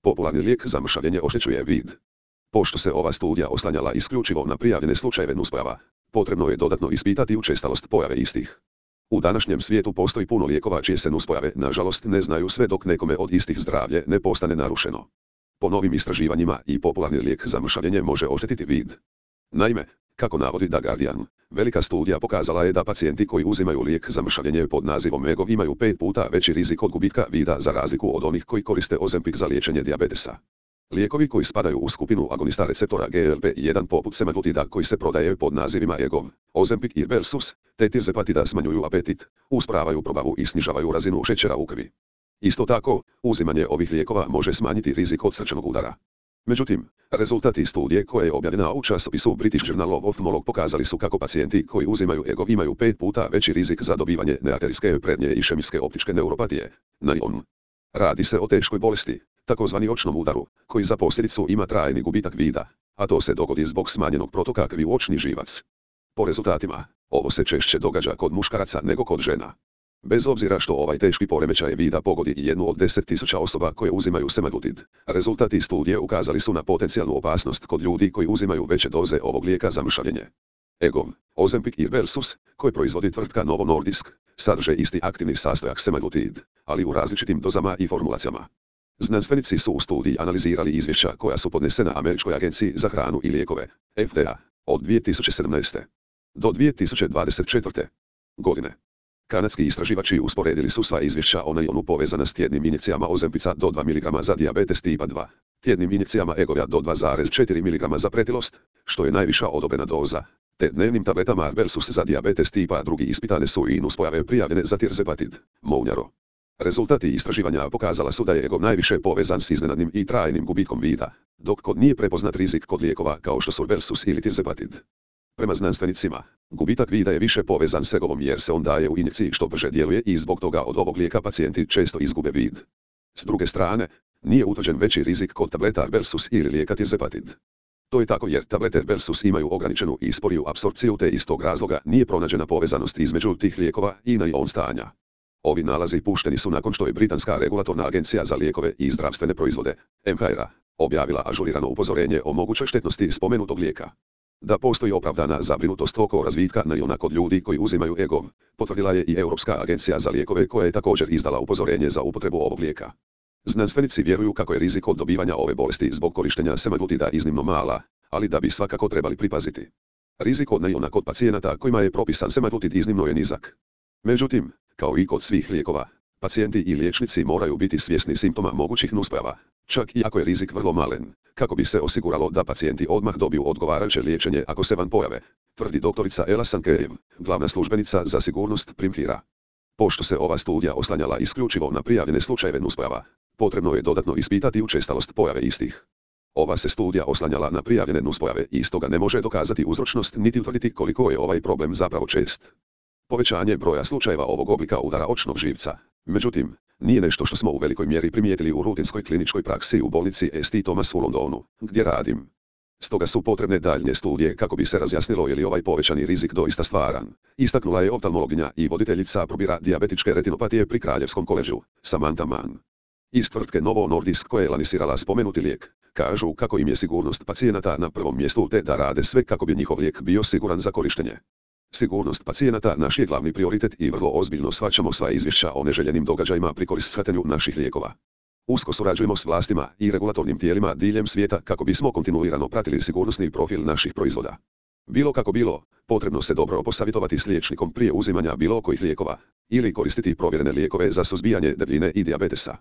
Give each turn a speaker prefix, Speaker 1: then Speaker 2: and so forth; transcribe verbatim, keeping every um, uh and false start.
Speaker 1: Popularni lijek za mršavljenje oštećuje vid. Pošto se ova studija oslanjala isključivo na prijavljene slučajeve nuspojava, potrebno je dodatno ispitati učestalost pojave istih. U današnjem svijetu postoji puno lijekova čije se nuspojave, nažalost, ne znaju sve dok nekome od istih zdravlje ne postane narušeno. Po novim istraživanjima i popularni lijek za mršavljenje može oštetiti vid. Naime, kako navodi The Guardian, velika studija pokazala je da pacijenti koji uzimaju lijek za mršavljenje pod nazivom Egov imaju pet puta veći rizik od gubitka vida za razliku od onih koji koriste Ozempic za liječenje dijabetesa. Lijekovi koji spadaju u skupinu agonista receptora G L P jedan poput semaglutida koji se prodaje pod nazivima Egov, Ozempic i Rybelsus, te tirzepatida smanjuju apetit, usporavaju probavu i snižavaju razinu šećera u krvi. Isto tako, uzimanje ovih lijekova može smanjiti rizik od srčanog udara. Međutim, rezultati studije koja je objavljena u časopisu British Journal of Ophthalmology pokazali su kako pacijenti koji uzimaju Egov imaju pet puta veći rizik za dobivanje nearterijske prednje išemijske optičke neuropatije, N I O N. Radi se o teškoj bolesti, takozvani očnom udaru, koji za posljedicu ima trajni gubitak vida, a to se dogodi zbog smanjenog protoka krvi u očni živac. Po rezultatima, ovo se češće događa kod muškaraca nego kod žena. Bez obzira što ovaj teški poremećaj vida pogodi i jednu od deset tisuća osoba koje uzimaju semaglutid, rezultati studije ukazali su na potencijalnu opasnost kod ljudi koji uzimaju veće doze ovog lijeka za mršavljenje. Egov, Ozempic i Rybelsus, koji proizvodi tvrtka Novo Nordisk, sadrže isti aktivni sastojak semaglutid, ali u različitim dozama i formulacijama. Znanstvenici su u studiji analizirali izvješća koja su podnesena Američkoj agenciji za hranu i lijekove, F D A, od dvije tisuće sedamnaeste. do dvije tisuće dvadeset četvrte. godine. Kanadski istraživači usporedili su sva izvješća o N I O N-u povezana s tjednim injekcijama Ozempica do dva miligrama za dijabetes tipa dva, tjednim injekcijama Egova do dva zarez četiri miligrama za pretilost, što je najviša odobrena doza, te dnevnim tabletama Rybelsus za dijabetes tipa drugi ispitane su i nuspojave prijavljene za tirzepatid, Mounjaro. Rezultati istraživanja pokazala su da je Egov najviše povezan s iznenadnim i trajnim gubitkom vida, dok kod nije prepoznat rizik kod lijekova kao što su Rybelsus ili tirzepatid. Prema znanstvenicima, gubitak vida je više povezan s Egovom jer se on daje u injekciji što brže djeluje i zbog toga od ovog lijeka pacijenti često izgube vid. S druge strane, nije utvrđen veći rizik kod tableta Rybelsus ili lijeka tirzepatid. To je tako jer tablete Rybelsus imaju ograničenu i sporiju apsorpciju te iz tog razloga nije pronađena povezanost između tih lijekova i N I O N stanja. Ovi nalazi pušteni su nakon što je Britanska regulatorna agencija za lijekove i zdravstvene proizvode, M H R A, objavila ažurirano upozorenje o mogućoj štetnosti spomenutog lijeka. Da postoji opravdana zabrinutost oko razvitka N I O N-a kod ljudi koji uzimaju Egov, potvrdila je i Europska agencija za lijekove koja je također izdala upozorenje za upotrebu ovog lijeka. Znanstvenici vjeruju kako je rizik od dobivanja ove bolesti zbog korištenja semaglutida iznimno mala, ali da bi svakako trebali pripaziti. Rizik od N I O N-a kod pacijenata kojima je propisan semaglutid iznimno je nizak. Međutim, kao i kod svih lijekova, pacijenti i liječnici moraju biti svjesni simptoma mogućih nuspojava, čak i ako je rizik vrlo malen, kako bi se osiguralo da pacijenti odmah dobiju odgovarajuće liječenje ako se van pojave, tvrdi doktorica Ela Sankejev, glavna službenica za sigurnost Primhira. Pošto se ova studija oslanjala isključivo na prijavljene slučajeve nuspojava, potrebno je dodatno ispitati učestalost pojave istih. Ova se studija oslanjala na prijavljene nuspojave i stoga ne može dokazati uzročnost niti utvrditi koliko je ovaj problem zapravo čest. Povećanje broja slučajeva ovog oblika udara očnog živca, međutim, nije nešto što smo u velikoj mjeri primijetili u rutinskoj kliničkoj praksi u bolnici S T Thomas u Londonu, gdje radim. Stoga su potrebne daljnje studije kako bi se razjasnilo je li ovaj povećani rizik doista stvaran, istaknula je oftalmologinja i voditeljica probira dijabetičke retinopatije pri Kraljevskom koleđu, Samantha Mann. Iz tvrtke Novo Nordisk koja je lansirala spomenuti lijek, kažu kako im je sigurnost pacijenata na prvom mjestu te da rade sve kako bi njihov lijek bio siguran za korištenje. Sigurnost pacijenata naš je glavni prioritet i vrlo ozbiljno shvaćamo sva izvješća o neželjenim događajima pri korištenju naših lijekova. Usko surađujemo s vlastima i regulatornim tijelima diljem svijeta kako bismo kontinuirano pratili sigurnosni profil naših proizvoda. Bilo kako bilo, potrebno se dobro posavjetovati s liječnikom prije uzimanja bilo kojih lijekova, ili koristiti provjerene lijekove za suzbijanje debljine i dijabetesa.